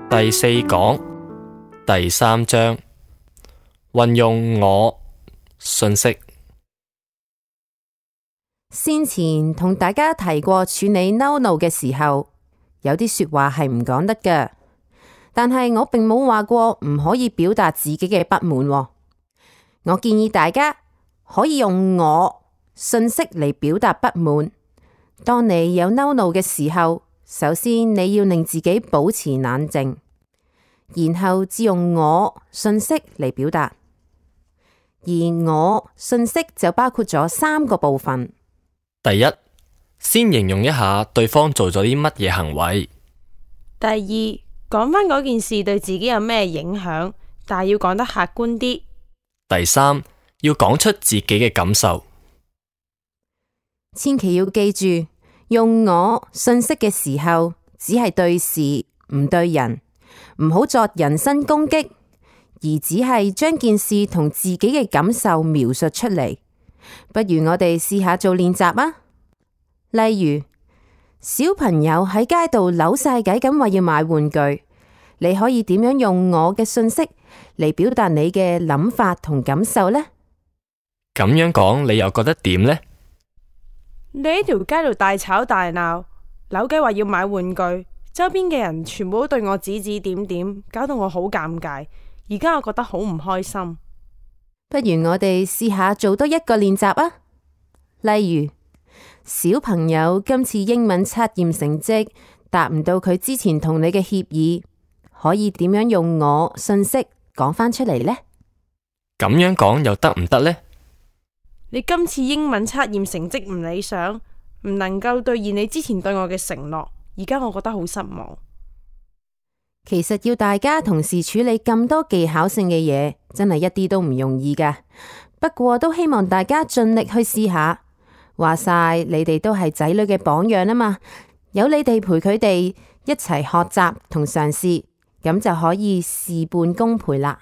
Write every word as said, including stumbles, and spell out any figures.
第四講第三章，運用我信息。先前同大家提過處理嬲怒嘅時候，有啲說話係唔講得嘅，但係我並冇話過唔可以表達自己嘅不滿喎。我建議大家可以用我信息嚟表達不滿。當你有嬲怒嘅時候，首先你要令自己保持冷靜，然後只用我信息嚟表達。而我信息就包括咗三個部分。第一，先形容一下對方做咗啲乜嘢行為。第二，講返嗰件事對自己有咩影響，但係要講得客觀啲。第三，要講出自己嘅感受。千祈要記住，用我信息嘅時候，只係對事唔對人，唔好作人身攻擊，而只係將件事同自己嘅感受描述出嚟。不如我哋試下做練習啊！例如，小朋友喺街度扭晒計咁話要買玩具，你可以點樣用我嘅信息嚟表達你嘅諗法同感受呢？咁樣講，你又覺得點呢？你喺條街度大吵大鬧，扭計話要買玩具，周邊嘅人全部都對我指指點點，搞到我好尷尬。而家我覺得好唔開心。不如我哋試下做多一個練習啊！例如，小朋友今次英文測驗成績達唔到佢之前同你嘅協議，可以點樣用我信息講返出嚟呢？咁樣講又得唔得呢？你今次英文測驗成績唔理想，唔能夠兌現你之前對我嘅承諾，而家我覺得好失望。其實要大家同時處理咁多技巧性嘅嘢，真係一啲都唔容易㗎。不過都希望大家盡力去試下。話晒你哋都係仔女嘅榜樣啊嘛，有你哋陪佢哋一齊學習同嘗試，咁就可以事半功倍啦。